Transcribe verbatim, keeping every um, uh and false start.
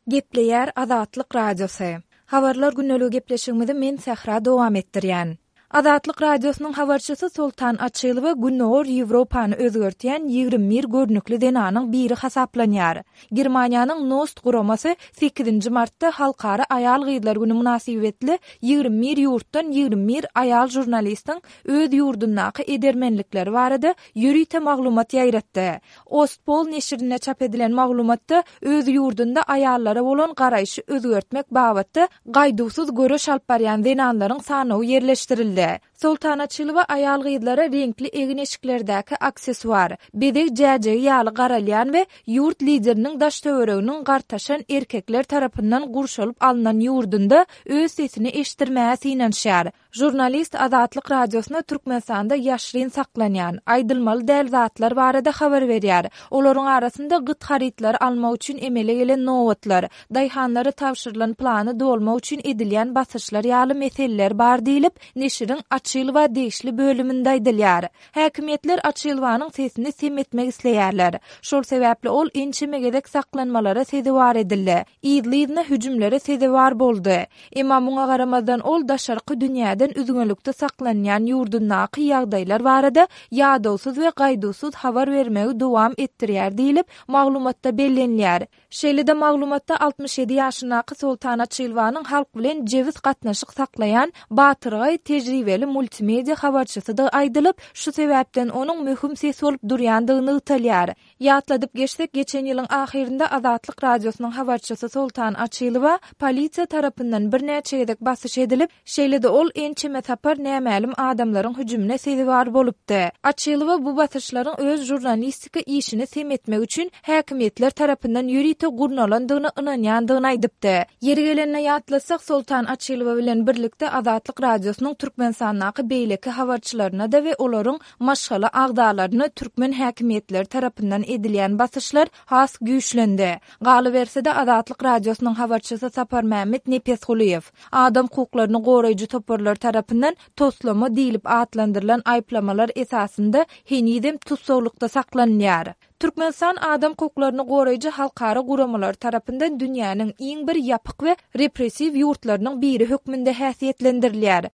Gepleýär Azatlyk Radiosy. Habarlar gündeligi gepleşigimizi men Sähra dowam etdirýän. Azatlyk Radiosynyň habarçysy Soltan Açylowa Gündogar Ýewropany özgertýän ýigrimi bir görnükli zenanyň biri hasaplanýar. Germaniýanyň Nost guramasy sekizinji martda Halkara aýal-gyzlar güni mynasybetli ýigrimi bir ýurtdan ýigrimi bir aýal žurnalistiň öz ýurdundaky edermenlikleri barada ýörite maglumat ýaýratdy. Ostpol neşirinde çap edilen maglumatda öz ýurdunda aýallara bolan garaýşy özgertmek babatda gaýduwsyz göreş alyp barýan zenanlaryň sanawy ýerleşdirildi. Soltan Açylowa aýal-gyzlara reňkli egin-eşiklerdäki aksessuar, bezeg jäjegi ýaly garalýan we ýurt lideriniň daş-töwereginiň gartaşan erkekler tarapyndan gurşalyp alnan ýurdunda öz sesini eşitdirmäge synanyşýar. Žurnalist Azatlyk Radiosyna Türkmenistanda ýaşryn saklanýan, aýdylmaly däl zatlar barada habar berýär. Olaryň arasynda gyt harytlary almak üçin emele gelen nobatlar, daýhanlara tabşyrylan plany dolmak üçin edilýän basyşlar ýaly meseleler bar diýlip, neşiriň Açylowa degişli bölüminde aýdylýar. Häkimiýetler Açylowanyň sesini sem etmek isleýärler. Şol sebäpli ol ençeme gezek saklanmalara sezewar edildi, yzly-yzyna hüjümlere sezewar boldy. Emma muňa garamazdan ol daşarky dünýäden üzňelikde saklanýan ýurdundaky ýagdaýlar barada ýadawsyz we gaýduwsyz habar bermegi dowam etdirýär diýlip, maglumatda bellenilýär. Şeýle-de maglumatda altmyş ýedi ýaşyndaky Soltan Açylowanyň halk bilen jebis gatnaşyk saklaýan batyrgaý tejribeli multimedia habarçysydygy aýdylyp, şu sebäpden onuň möhüm ses bolup durýandygy nygtalýar. Ýatladyp geçsek, geçen ýylyň ahyrynda Azatlyk Radiosynyň habarçysy Soltan Açylowa polisiýa tarapyndan birnäçe gezek basyş edilip, şeýle-de ol ençeme sapar nämälim adamlaryň hüjümine sezewar bolupdy. Açylowa bu basyşlaryň öz žurnalistika işini sem etmek üçin häkimiýetler tarapyndan ýörite gurnalandygyna ynanýandygyny aýdypdy. Ýeri gelende ýatlatsak, Soltan Açylowa bilen birlikde Azatlyk Radiosynyň Türkmenistandaky beýleki habarçylaryna-da we olaryň maşgala agzalaryna türkmen häkimiýetleri tarapyndan edilýän basyşlar has güýçlendi. Galyberse-de, Azatlyk Radiosynyň habarçysy Saparmämmet Nepesgulyýew adam hukuklaryny goraýjy toparlar tarapyndan toslama diýlip atlandyrylan aýyplamalar esasynda henizem tussaglykda saklanylýar. Türkmenistan adam hukuklaryny goraýjy halkara guramalary tarapyndan dünýäniň iň bir ýapyk we repressiw ýurtlarynyň biri hökmünde häsiýetlendirilýär.